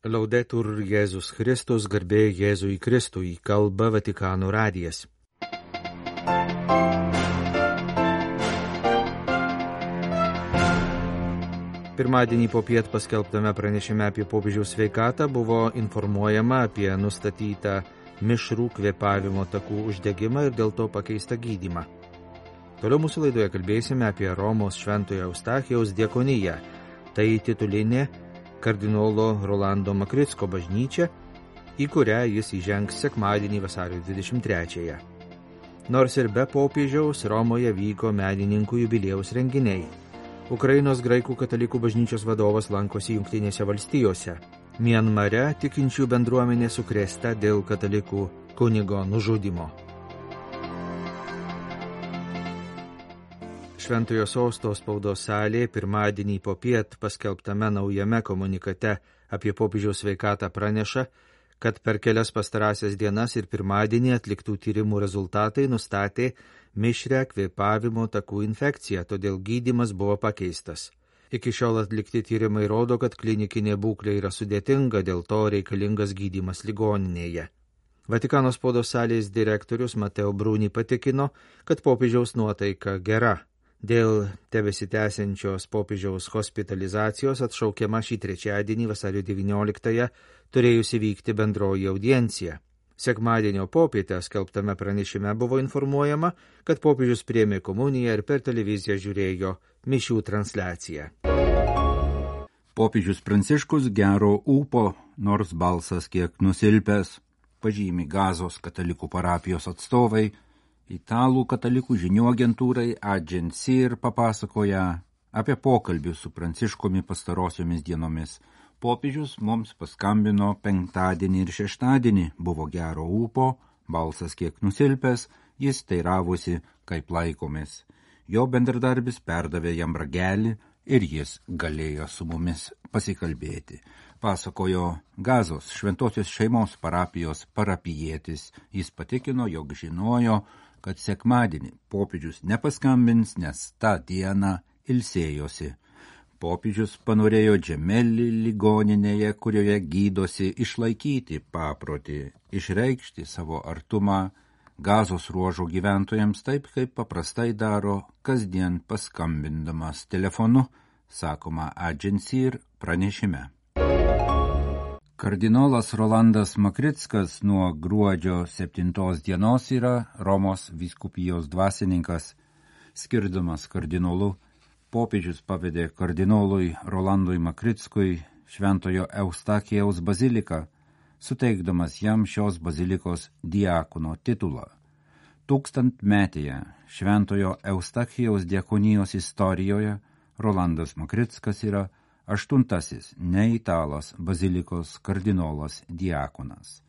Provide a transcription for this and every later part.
Laudetur Jėzus Kristus, garbė Jėzui Kristui, kalba Vatikano radijas. Pirmadienį popiet paskelbtame pranešime apie popiežiaus sveikatą buvo informuojama apie nustatytą mišrų kvėpavimo takų uždegimą ir dėl to pakeistą gydymą. Toliau mūsų laidoje kalbėsime apie Romos Šventojo Eustachijaus diakoniją. Tai titulinė kardinolo Rolando Makricko bažnyčia, į kurią jis įžengs sekmadienį vasario 23-ąją. Nors ir be popiežiaus Romoje vyko medininkų jubiliejaus renginiai. Ukrainos graikų katalikų bažnyčios vadovas lankosi Jungtinėse valstijose. Mianmare tikinčių bendruomenė sukrėsta dėl katalikų kunigo nužudymo. Šventojo sosto spaudos salė pirmadienį popiet paskelbtame naujame komunikate apie popiežiaus sveikatą praneša, kad per kelias pastarąsias dienas ir pirmadienį atliktų tyrimų rezultatai nustatė mišrią kvėpavimo takų infekciją, todėl gydymas buvo pakeistas. Iki šiol atlikti tyrimai rodo, kad klinikinė būklė yra sudėtinga, dėl to reikalingas gydymas ligoninėje. Vatikano spaudos salės direktorius Mateo Bruni patikino, kad popiežiaus nuotaika gera. Dėl tebesitęsiančios popiežiaus hospitalizacijos atšaukiama šį trečiadienį vasario 19-ąją turėjusi vykti bendroji audiencija. Sekmadienio popietę skelbtame pranešime buvo informuojama, kad popiežius priėmė komuniją ir per televiziją žiūrėjo mišių transliaciją. Popiežius Pranciškus gero ūpo, nors balsas kiek nusilpęs, pažymi Gazos katalikų parapijos atstovai. Italų katalikų žinių agentūrai Agensir papasakoja apie pokalbį su Pranciškumi pastarosiomis dienomis. Popiežius mums paskambino penktadienį ir šeštadienį, buvo gero ūpo, balsas kiek nusilpęs, jis teiravosi, kaip laikomės. Jo bendradarbis perdavė jam ragelį ir jis galėjo su mumis pasikalbėti. Pasakojo Gazos šventosios šeimos parapijos parapijietis. Jis patikino, jog žinojo, kad sekmadienį popiežius nepaskambins, nes tą dieną ilsėjosi. Popiežius panorėjo Džemelį ligoninėje, kurioje gydosi, išlaikyti paprotį, išreikšti savo artumą Gazos ruožo gyventojams taip, kaip paprastai daro kasdien paskambindamas telefonu, sakoma Agensir pranešime. Kardinolas Rolandas Makrickas nuo gruodžio 7 dienos yra Romos vyskupijos dvasininkas. Skirdamas kardinolu, popiežius pavedė kardinolui Rolandui Makrickui Šventojo Eustachijaus baziliką, suteikdamas jam šios bazilikos diakono titulą. 1000-metėje Šventojo Eustachijaus diakonijos istorijoje Rolandas Makrickas yra 8. neitalas bazilikos kardinolas diakonas.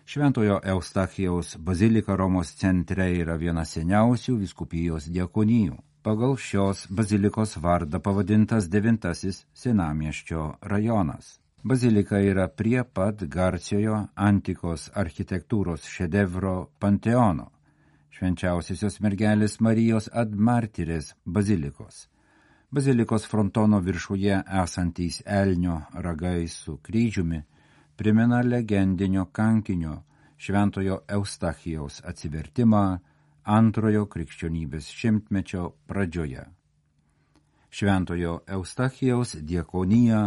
Šventojo Eustachijaus bazilika Romos centre yra viena seniausių vyskupijos diakonijų. Pagal šios bazilikos vardą pavadintas 9. senamiesčio rajonas. Bazilika yra prie pat garsiojo antikos architektūros šedevro Panteono, Švenčiausiosios mergelės Marijos ad Martirės bazilikos. Bazilikos frontono viršuje esantys elnio ragai su kryžiumi primena legendinio kankinio Šventojo Eustachijaus atsivertimą antrojo krikščionybės šimtmečio pradžioje. Šventojo Eustachijaus diakoniją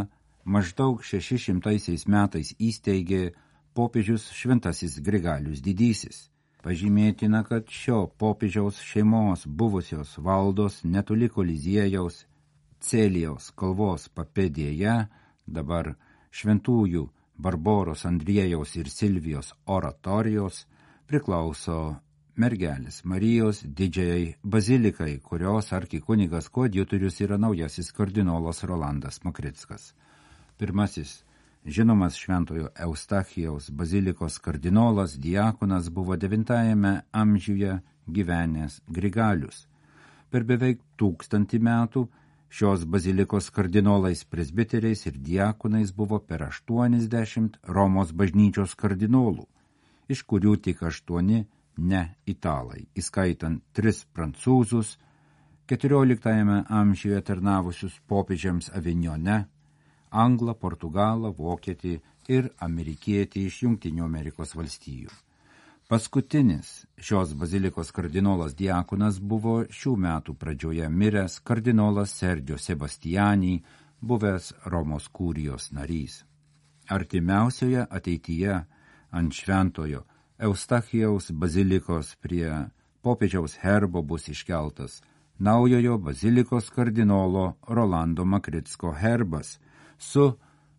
maždaug 600 metais įsteigė popiežius Šventasis Grigalius Didysis. Pažymėtina, kad šio popiežiaus šeimos buvusios valdos netoli Koliziejaus Celijaus kalvos papėdėje, dabar šventųjų Barboros Andriejaus ir Silvijos oratorijos, priklauso mergelės Marijos didžiajai bazilikai, kurios arkikunigas koadjutorius yra naujasis kardinolas Rolandas Makrickas. Pirmasis žinomas Šventojo Eustachijaus bazilikos kardinolas diakonas buvo 9 amžiuje gyvenęs Grigalius. Per beveik 1000 metų šios bazilikos kardinolais presbiteriais ir diakonais buvo per 80 Romos bažnyčios kardinolų, iš kurių tik 8 ne italai, įskaitant 3 prancūzus, 14 amžiuje tarnavusius popiežiams Avignone, anglą, portugalą, vokietį ir amerikietį iš Jungtinių Amerikos valstijų. Paskutinis šios bazilikos kardinolas diakonas buvo šių metų pradžioje miręs kardinolas Sergio Sebastiani, buvęs Romos kurijos narys. Artimiausioje ateityje ant šventojo Eustachijaus bazilikos prie popiežiaus herbo bus iškeltas naujojo bazilikos kardinolo Rolando Makritsko herbas su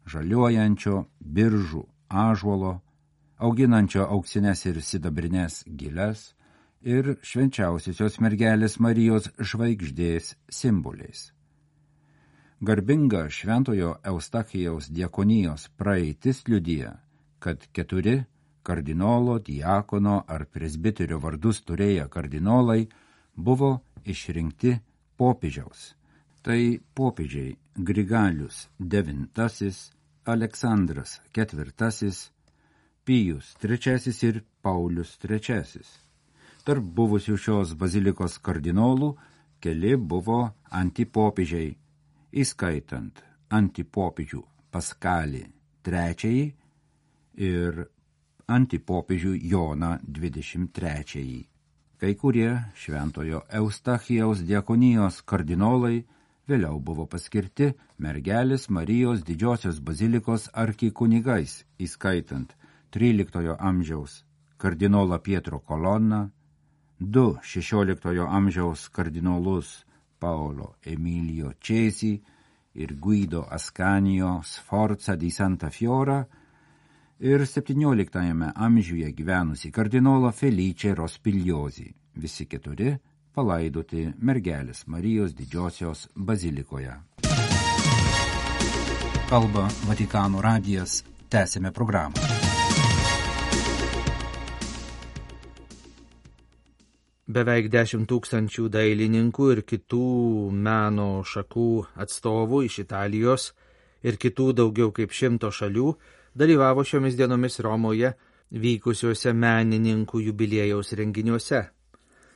žaliuojančio biržų ąžuolo, auginančio auksines ir sidabrinės giles ir švenčiausiosios mergelės Marijos žvaigždės simboliais. Garbinga šventojo Eustachijaus diakonijos praeitis liudija, kad 4 kardinolo, diakono ar presbiterio vardus turėję kardinolai buvo išrinkti popiežiaus. Tai popiežiai Grigalius IX, Aleksandras IV, Pijus III ir Paulius III. Tarp buvusių šios bazilikos kardinolų keli buvo antipopiežiai, įskaitant antipopiežių Paskalį III ir antipopiežių Joną XXIII. Kai kurie šventojo Eustachijaus diakonijos kardinolai vėliau buvo paskirti mergelės Marijos didžiosios bazilikos arkikunigais, įskaitant 13 amžiaus kardinolą Pietro Colonna, 2 16 amžiaus kardinolus Paolo Emilio Cesi ir Guido Ascanio Sforza di Santa Fiora ir 17 amžiuje gyvenusi kardinolą Felice Rospigliosi, visi 4 palaidoti mergelės Marijos didžiosios bazilikoje. Kalba Vatikano radijas, tęsime programą. Beveik 10 000 dailininkų ir kitų meno šakų atstovų iš Italijos ir kitų daugiau kaip 100 šalių dalyvavo šiomis dienomis Romoje vykusiuose menininkų jubiliejaus renginiuose.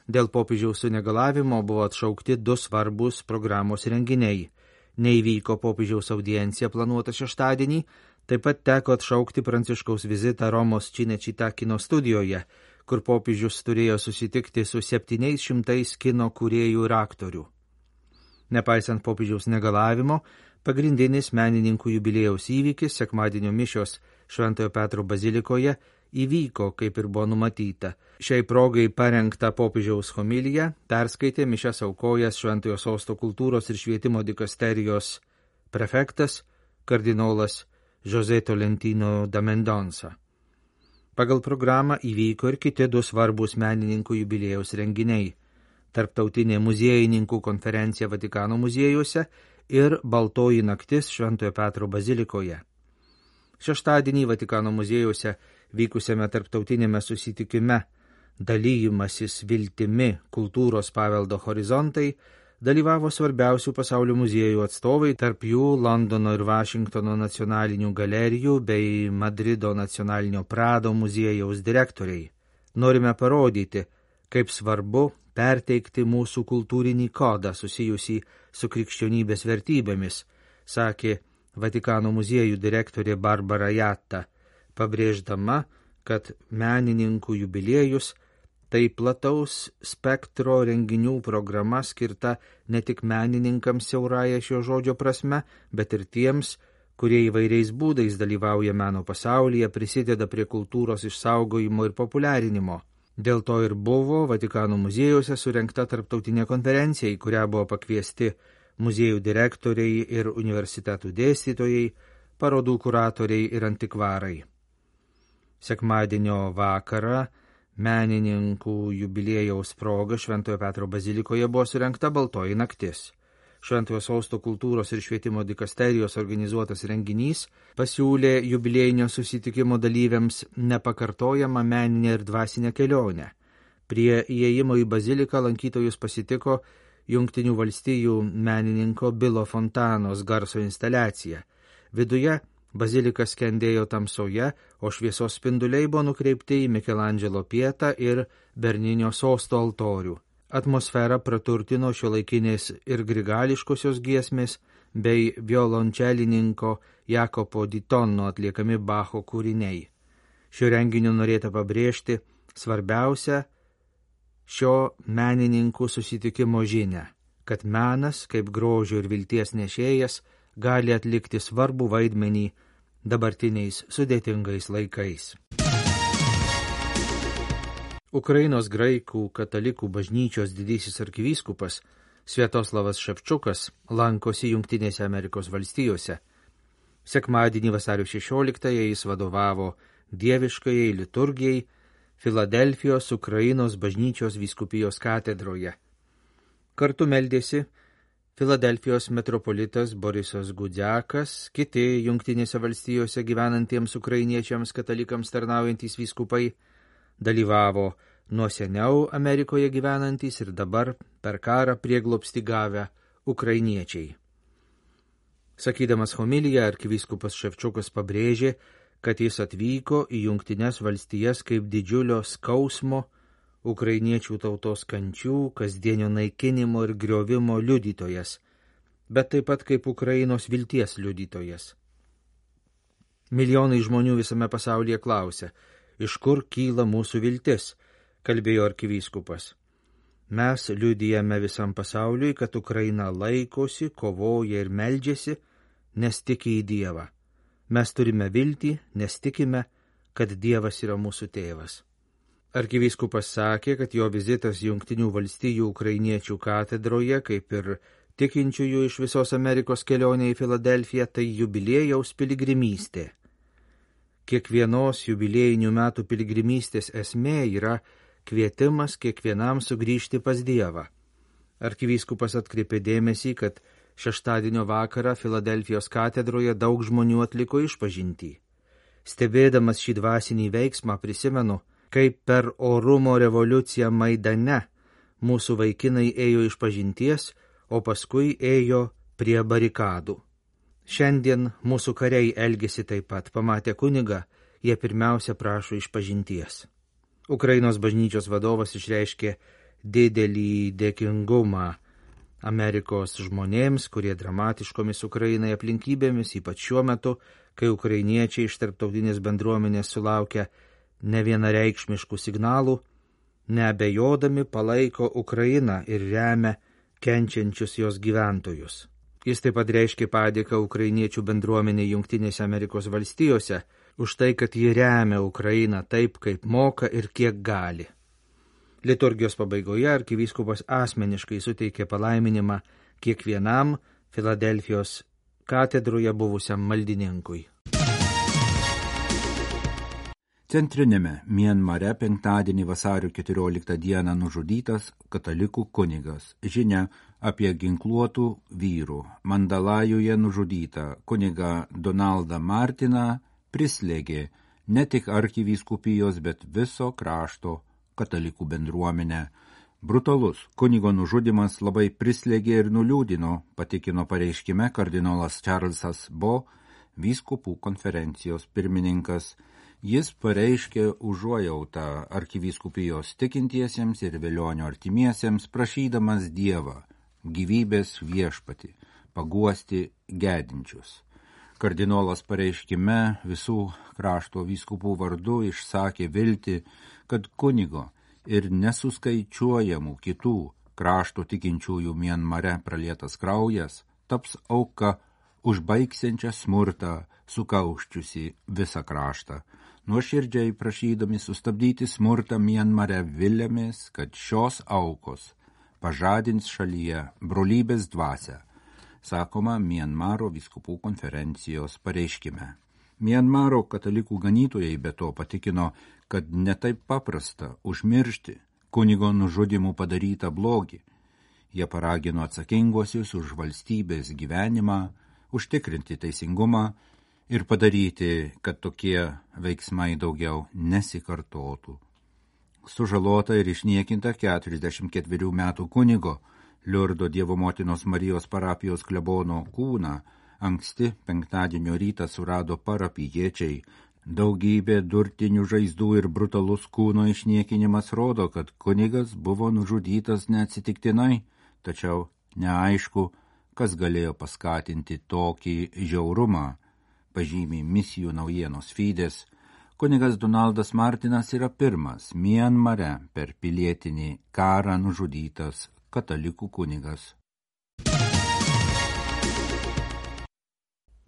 Dėl popiežiaus sunegalavimo buvo atšaukti 2 svarbus programos renginiai. Neįvyko popiežiaus audiencija planuota šeštadienį, taip pat teko atšaukti Pranciškaus vizitą Romos Cinecittà kino studijoje, kur popiežius turėjo susitikti su 700 kino kūrėjų ir aktorių. Nepaisant popiežiaus negalavimo, pagrindinis menininkų jubiliejaus įvykis, sekmadienio mišios Šventojo Petro bazilikoje, įvyko, kaip ir buvo numatyta. Šiai progai parengtą popiežiaus homiliją perskaitė mišias aukojęs Šventojo Sosto kultūros ir švietimo dikasterijos prefektas kardinolas José Tolentino da Mendonça. Pagal programą įvyko ir kiti 2 svarbus menininkų jubiliejaus renginiai – Tarptautinė muziejininkų konferencija Vatikano muziejuose ir Baltoji naktis Šventojo Petro bazilikoje. Šeštadienį Vatikano muziejuose vykusiame tarptautinėme susitikime Dalyjimasis viltimi kultūros paveldo horizontai dalyvavo svarbiausių pasaulio muziejų atstovai, tarp jų Londono ir Vašingtono nacionalinių galerijų bei Madrido nacionalinio Prado muziejaus direktoriai. Norime parodyti, kaip svarbu perteikti mūsų kultūrinį kodą susijusį su krikščionybės vertybėmis, sakė Vatikano muziejų direktorė Barbara Jatta, pabrėždama, kad menininkų jubiliejus tai plataus spektro renginių programa skirta ne tik menininkams siaurąja šio žodžio prasme, bet ir tiems, kurie įvairiais būdais dalyvauja meno pasaulyje, prisideda prie kultūros išsaugojimo ir populiarinimo. Dėl to ir buvo Vatikano muziejuose surengta tarptautinė konferencija, į kurią buvo pakviesti muziejų direktoriai ir universitetų dėstytojai, parodų kuratoriai ir antikvarai. Sekmadienio vakarą menininkų jubiliejaus proga Šventojo Petro bazilikoje buvo surengta Baltoji naktis. Šventojo Sosto kultūros ir švietimo dikasterijos organizuotas renginys pasiūlė jubiliejinio susitikimo dalyviams nepakartojamą meninę ir dvasinę kelionę. Prie įėjimo į baziliką lankytojus pasitiko Jungtinių valstijų menininko Bilo Fontanos garso instaliacija. Viduje bazilika skendėjo tamsoje, o šviesos spinduliai buvo nukreipti į Mikelandželo Pietą ir Berninio Sosto altorių. Atmosferą praturtino šiuolaikinės ir grigališkosios giesmės bei violončelininko Jakopo di Tonno atliekami Bacho kūriniai. Šio renginio norėta pabrėžti svarbiausia šio menininkų susitikimo žinia, kad menas, kaip grožio ir vilties nešėjas, gali atlikti svarbų vaidmenį dabartiniais sudėtingais laikais. Ukrainos graikų katalikų bažnyčios didysis arkivyskupas Sviatoslavas Ševčukas lankosi Jungtinėse Amerikos valstijose. Sekmadienį vasario 16-ąją jis vadovavo dieviškajai liturgijai Filadelfijos Ukrainos bažnyčios vyskupijos katedroje. Kartu meldėsi Filadelfijos metropolitas Borisas Gudziakas, kiti Jungtinėse valstijose gyvenantiems ukrainiečiams katalikams tarnaujantys vyskupai, dalyvavo nuo seniau Amerikoje gyvenantys ir dabar per karą prieglobstį gavę ukrainiečiai. Sakydamas homiliją, arkivyskupas Ševčukas pabrėžė, kad jis atvyko į Jungtines valstijas kaip didžiulio skausmo, ukrainiečių tautos kančių, kasdienio naikinimo ir griovimo liudytojas, bet taip pat kaip Ukrainos vilties liudytojas. Milijonai žmonių visame pasaulyje klausia, iš kur kyla mūsų viltis, kalbėjo arkivyskupas. Mes liudijame visam pasauliui, kad Ukraina laikosi, kovoja ir meldžiasi, nes tiki į Dievą. Mes turime viltį, nes tikime, kad Dievas yra mūsų tėvas. Arkivyskupas sakė, kad jo vizitas Jungtinių valstijų ukrainiečių katedroje, kaip ir tikinčiųjų iš visos Amerikos kelionė į Filadelfiją, tai jubiliejaus piligrimystė. Kiekvienos jubiliejinių metų piligrimystės esmė yra kvietimas kiekvienam sugrįžti pas Dievą. Arkivyskupas atkreipė dėmesį, kad šeštadienio vakarą Filadelfijos katedroje daug žmonių atliko išpažintį. Stebėdamas šį dvasinį veiksmą prisimenu, kaip per orumo revoliuciją Maidane mūsų vaikinai ėjo išpažinties, o paskui ėjo prie barikadų. Šiandien mūsų kariai elgėsi taip pat, pamatę kunigą, jie pirmiausia prašo išpažinties. Ukrainos bažnyčios vadovas išreiškė didelį dėkingumą Amerikos žmonėms, kurie dramatiškomis Ukrainai aplinkybėmis, ypač šiuo metu, kai ukrainiečiai iš tarptautinės bendruomenės sulaukia nevienareikšmiškų signalų, neabejodami palaiko Ukrainą ir remia kenčiančius jos gyventojus. Jis taip pat reiškė padėką ukrainiečių bendruomenė Jungtinėse Amerikos valstijose už tai, kad ji remia Ukrainą taip, kaip moka ir kiek gali. Liturgijos pabaigoje arkivyskupas asmeniškai suteikė palaiminimą kiekvienam Filadelfijos katedroje buvusiam maldininkui. Centrinėme Mianmare penktadienį vasario 14 dieną nužudytas katalikų kunigas. Žinia apie ginkluotų vyrų Mandalajuje nužudytą kunigą Donaldą Martiną prislėgė ne tik arkivyskupijos, bet viso krašto katalikų bendruomenę. Brutalus kunigo nužudymas labai prislėgė ir nuliūdino, patikino pareiškime kardinolas Čarlzas Bo, vyskupų konferencijos pirmininkas. Jis pareiškė užuojautą arkivyskupijos tikintiesiems ir velionio artimiesiems, prašydamas Dievą, gyvybės viešpatį, paguosti gedinčius. Kardinolas pareiškime visų krašto vyskupų vardu išsakė viltį, kad kunigo ir nesuskaičiuojamų kitų krašto tikinčiųjų Mianmare pralietas kraujas taps auka užbaigsiančią smurtą, sukauščiusi visą kraštą. Nuoširdžiai prašydami sustabdyti smurtą Mianmare vilėmis, kad šios aukos pažadins šalyje brolybės dvasią, sakoma Mianmaro vyskupų konferencijos pareiškime. Mianmaro katalikų ganytojai be to patikino, kad netaip paprasta užmiršti kunigo nužudimų padarytą blogį. Jie paragino atsakinguosius už valstybės gyvenimą, užtikrinti teisingumą ir padaryti, kad tokie veiksmai daugiau nesikartotų. Sužalota ir išniekinta 44 metų kunigo Liurdo Dievo motinos Marijos parapijos klebono kūną anksti penktadienio rytą surado parapijiečiai. Daugybė durtinių žaizdų ir brutalus kūno išniekinimas rodo, kad kunigas buvo nužudytas neatsitiktinai, tačiau neaišku, kas galėjo paskatinti tokį žiaurumą, pažymi Misijų naujienos feedas. Kunigas Donaldas Martinas yra pirmas Mianmare per pilietinį karą nužudytas katalikų kunigas.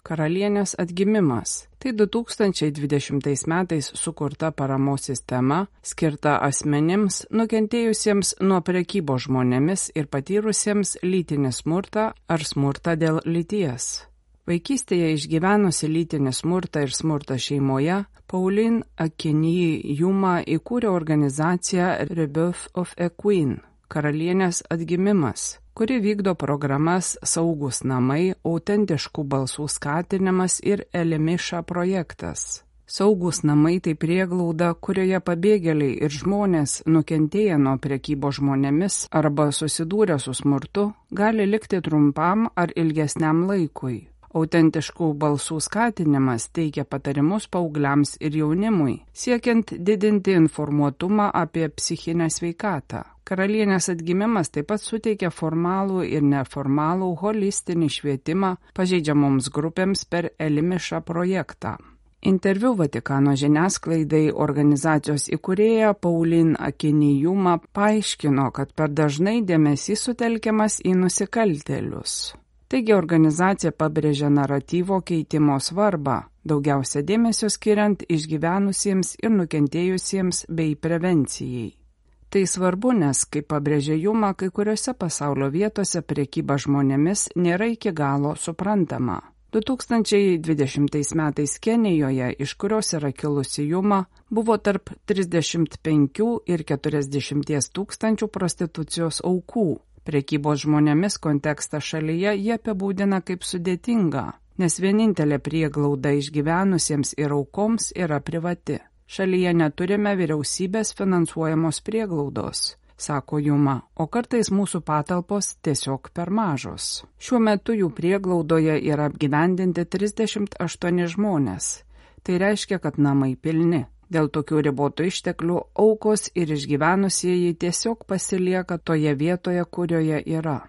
Karalienės atgimimas. Tai 2020 metais sukurta paramos sistema, skirta asmenims nukentėjusiems nuo prekybos žmonėmis ir patyrusiems lytinį smurtą ar smurtą dėl lyties. Vaikystėje išgyvenusi lytinį smurtą ir smurtą šeimoje, Pauline Akinyi-Juma įkūrė organizaciją Rebirth of a Queen – Karalienės atgimimas, kuri vykdo programas Saugūs namai, autentiškų balsų skatinimas ir Elimiša projektas. Saugūs namai tai prieglauda, kurioje pabėgėliai ir žmonės nukentėję nuo prekybos žmonėmis arba susidūrę su smurtu gali likti trumpam ar ilgesniam laikui. Autentiškų balsų skatinimas teikia patarimus paaugliams ir jaunimui, siekiant didinti informuotumą apie psichinę sveikatą. Karalienės atgimimas taip pat suteikia formalų ir neformalų holistinį švietimą pažeidžiamoms grupėms per Elimiša projektą. Interviu Vatikano žiniasklaidai organizacijos įkūrėja Pauline Akinyi-Juma paaiškino, kad per dažnai dėmesys sutelkiamas į nusikaltėlius. Taigi organizacija pabrėžia naratyvo keitimo svarbą, daugiausia dėmesio skiriant išgyvenusiems ir nukentėjusiems bei prevencijai. Tai svarbu, nes, kaip pabrėžė Juma, kai kuriuose pasaulio vietose prekyba žmonėmis nėra iki galo suprantama. 2020 metais Kenijoje, iš kurios yra kilusi Juma, buvo tarp 35 ir 40 tūkstančių prostitucijos aukų. Prekybos žmonėmis kontekstą šalyje jie apibūdina kaip sudėtingą, nes vienintelė prieglauda išgyvenusiems ir aukoms yra privati. Šalyje neturime vyriausybės finansuojamos prieglaudos, sako Juma, o kartais mūsų patalpos tiesiog per mažos. Šiuo metu jų prieglaudoje yra apgyvendinti 38 žmonės. Tai reiškia, kad namai pilni. Dėl tokių ribotų išteklių aukos ir išgyvenusieji tiesiog pasilieka toje vietoje, kurioje yra.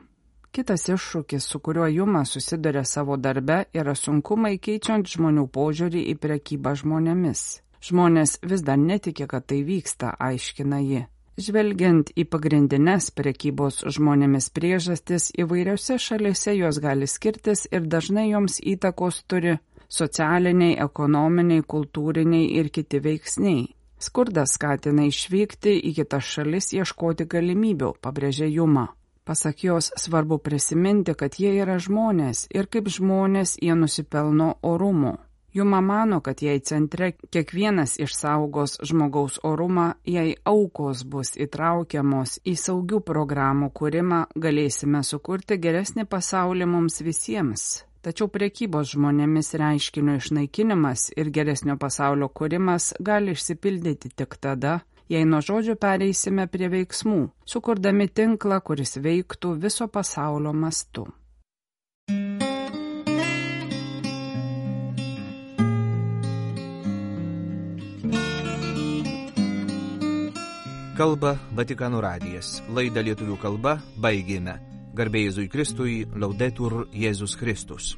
Kitas iššūkis, su kuriuo Juma susiduria savo darbe, yra sunkumai keičiant žmonių požiūrį į prekybą žmonėmis. Žmonės vis dar netiki, kad tai vyksta, aiškina ji. Žvelgiant į pagrindines prekybos žmonėmis priežastis, įvairiose šalyse jos gali skirtis ir dažnai joms įtakos turi socialiniai, ekonominiai, kultūriniai ir kiti veiksniai. Skurdas skatina išvykti į kitas šalis ieškoti galimybių, pabrėžė Juma. Pasak jos, svarbu prisiminti, kad jie yra žmonės ir kaip žmonės jie nusipelno orumo. Juma mano, kad jei centre kiekvienas išsaugos žmogaus orumą, jei aukos bus įtraukiamos į saugių programų kūrimą, galėsime sukurti geresnį pasaulį mums visiems. Tačiau prekybos žmonėmis reiškinio išnaikinimas ir geresnio pasaulio kūrimas gali išsipildyti tik tada, jei nuo žodžių pereisime prie veiksmų, sukurdami tinklą, kuris veiktų viso pasaulio mastu. Kalba Vatikano radijas. Laidą lietuvių kalba baigėme. Garbė Jėzui Kristui, Laudetur Jėzus Kristus.